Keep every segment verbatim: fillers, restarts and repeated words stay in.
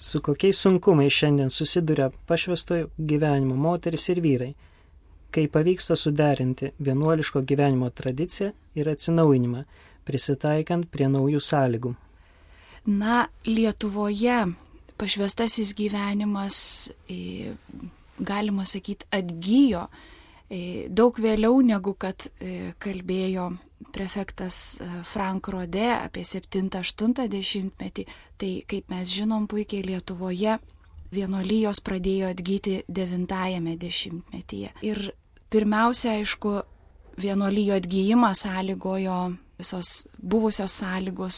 Su kokiais sunkumais šiandien susiduria pašvęstojo gyvenimo moteris ir vyrai, kai pavyksta suderinti vienuoliško gyvenimo tradiciją ir atsinaujinimą, prisitaikant prie naujų sąlygų? Na, Lietuvoje pašvęstasis gyvenimas, galima sakyti, atgyjo daug vėliau negu kad kalbėjo prefektas Frank Rodė apie septintą aštuntą dešimtmetį. Tai, kaip mes žinom, puikiai Lietuvoje vienuolijos pradėjo atgyti devintajame dešimtmetyje. Ir pirmiausia, aišku, vienuolijo atgyjimą sąlygojo visos buvusios sąlygos,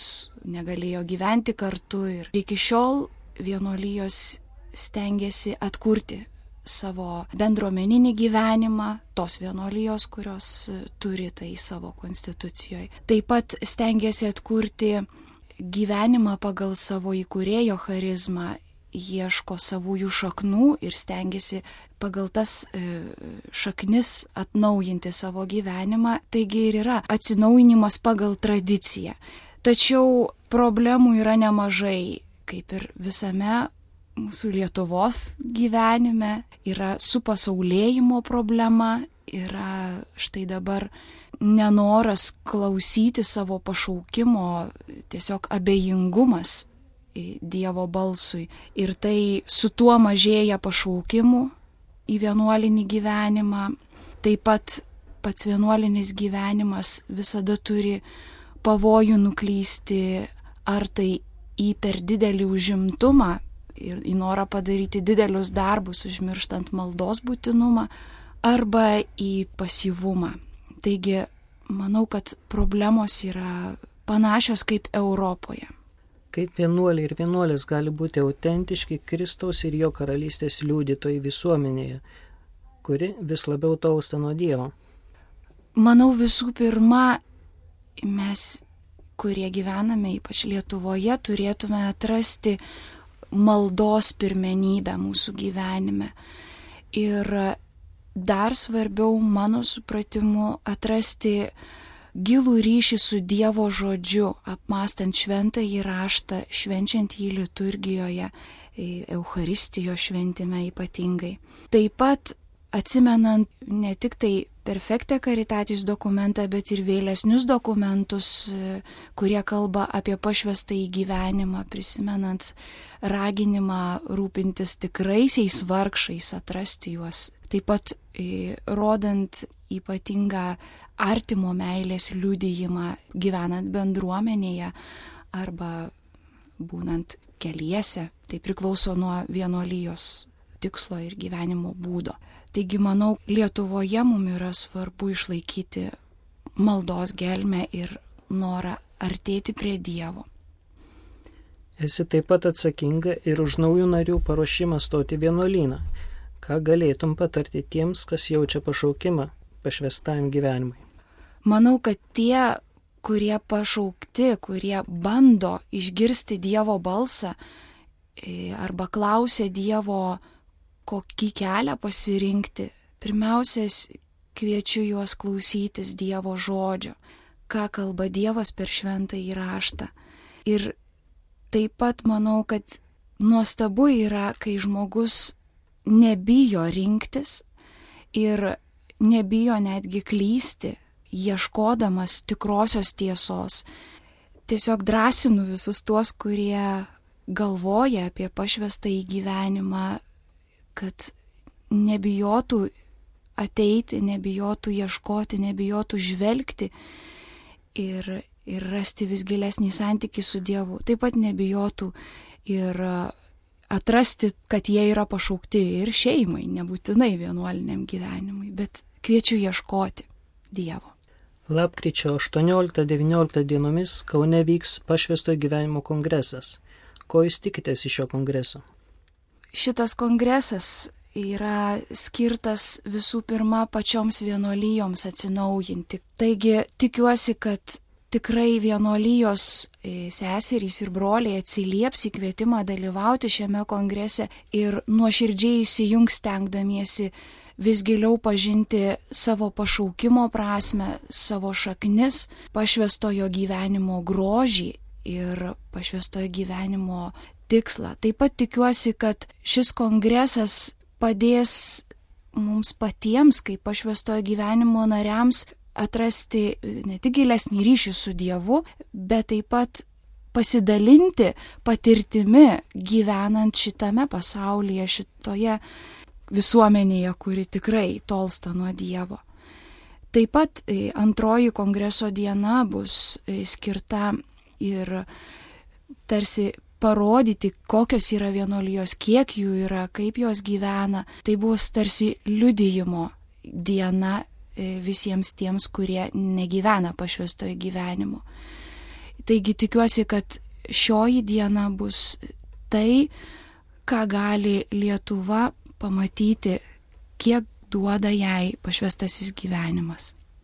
negalėjo gyventi kartu ir iki šiol vienuolijos stengiasi atkurti savo bendruomeninį gyvenimą, tos vienuolijos, kurios turi tai savo konstitucijoje. Taip pat stengiasi atkurti gyvenimą pagal savo įkūrėjo charizmą, ieško savųjų šaknų ir stengiasi pagal tas e, šaknis atnaujinti savo gyvenimą. Taigi ir yra atsinaujinimas pagal tradiciją. Tačiau problemų yra nemažai, kaip ir visame mūsų Lietuvos gyvenime. Yra supasaulėjimo problema, yra štai dabar nenoras klausyti savo pašaukimo, tiesiog abejingumas Dievo balsui. Ir tai su tuo mažėja pašaukimų į vienuolinį gyvenimą. Taip pat pats vienuolinis gyvenimas visada turi pavojų nuklysti ar tai į per didelį užimtumą ir į norą padaryti didelius darbus, užmirštant maldos būtinumą, arba į pasyvumą. Taigi, manau, kad problemos yra panašios kaip Europoje. Kaip vienuoliai ir vienuolės gali būti autentiški Kristaus ir jo karalystės liudytojai visuomenėje, kuri vis labiau tolsta nuo Dievo? Manau, visų pirma, mes, kurie gyvename, ypač Lietuvoje, turėtume atrasti maldos pirmenybę mūsų gyvenime. Ir dar svarbiau, mano supratimu, atrasti gilų ryšį su Dievo žodžiu, apmąstant šventąjį raštą, švenčiant jį liturgijoje, Eucharistijos šventime ypatingai. Taip pat atsimenant ne tik tai Perfecte Caritatis dokumentą, bet ir vėlesnius dokumentus, kurie kalba apie pašvęstąjį gyvenimą, prisimenant raginimą rūpintis tikraisiais vargšais, atrasti juos. Taip pat rodant ypatingą artimo meilės liudijimą gyvenant bendruomenėje arba būnant keliese. Tai priklauso nuo vienuolijos tikslo ir gyvenimo būdo. Taigi, manau, Lietuvoje mums yra svarbu išlaikyti maldos gelmę ir norą artėti prie Dievo. Esi taip pat atsakinga ir už naujų narių paruošimą stoti vienuolyną. Ką galėtum patarti tiems, kas jaučia pašaukimą pašvęstajam gyvenimui? Manau, kad tie, kurie pašaukti, kurie bando išgirsti Dievo balsą arba klausia Dievo, kokį kelią pasirinkti, pirmiausia, kviečiu juos klausytis Dievo žodžio, ką kalba Dievas per šventąjį raštą. Ir taip pat manau, kad nuostabu yra, kai žmogus nebijo rinktis ir nebijo netgi klysti, ieškodamas tikrosios tiesos. Tiesiog drąsinu visus tuos, kurie galvoja apie pašvęstąjį gyvenimą, kad nebijotų ateiti, nebijotų ieškoti, nebijotų žvelgti ir, ir rasti vis gilesnį santykį su Dievu. Taip pat nebijotų ir atrasti, kad jie yra pašaukti ir šeimai, nebūtinai vienuoliniam gyvenimui, bet kviečiu ieškoti Dievo. Lapkričio aštuonioliktą devynioliktą dienomis Kaune vyks pašvęstojo gyvenimo kongresas. Ko jūs tikitės iš šio kongreso? Šitas kongresas yra skirtas visų pirma pačioms vienuolijoms atsinaujinti. Taigi tikiuosi, kad tikrai vienuolijos seserys ir broliai atsilieps į kvietimą dalyvauti šiame kongrese ir nuoširdžiai įsijungs stengdamiesi vis giliau pažinti savo pašaukimo prasme, savo šaknis, pašvęstojo gyvenimo grožį ir pašvęstojo gyvenimo tikslą. Taip pat tikiuosi, kad šis kongresas padės mums patiems, kaip pašvęstojo gyvenimo nariams, atrasti ne tik gilesnį ryšį su Dievu, bet taip pat pasidalinti patirtimi gyvenant šitame pasaulyje, šitoje visuomenėje, kuri tikrai tolsta nuo Dievo. Taip pat antroji kongreso diena bus skirta ir tarsi parodyti, kokios yra vienuolijos, kiek jų yra, kaip jos gyvena. Tai bus tarsi liudijimo diena visiems tiems, kurie negyvena pašvęstojo gyvenimo. Taigi tikiuosi, kad šioji diena bus tai, ką gali Lietuva pamatyti, kiek duoda jai pašvęstasis gyvenimas.